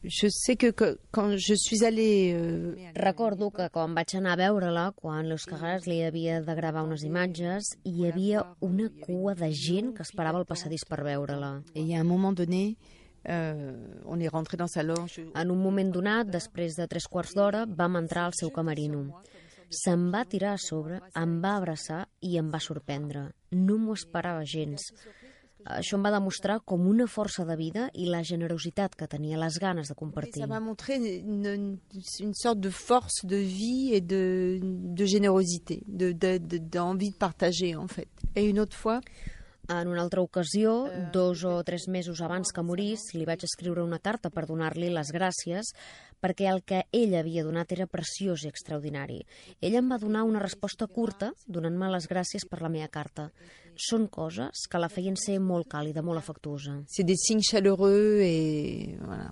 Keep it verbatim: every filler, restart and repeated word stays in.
Je sais que quand je suis allée... Recordo que quan vaig anar a veure-la, quan l'Euskaraz li havia de gravar unes imatges, hi havia una cua de gent que esperava el passadís per veure-la. Et il y a un moment donné, euh, on est rentré dans sa loge. En un moment donat, després de tres quarts d'hora, vam entrar al seu camerino. Se'm va tirar a sobre, em va abraçar i em va sorprendre. No m'ho esperava gens. Això em va demostrar com una força de vida i la generositat que tenia, les ganes de compartir. Ça m'a montré une, une sorte de force de vie et de, de générosité, de, de, de, d'envie de partager en fait. Et une autre fois, en una altra ocasió, dos o tres mesos abans que morís, li vaig escriure una carta per donar-li les gràcies perquè el que ell havia donat era preciós i extraordinari. Ell em va donar una resposta curta, donant-me les gràcies per la meva carta. Són coses que la feien ser molt càlida, molt afectuosa. C'est des signes chaleureux et voilà.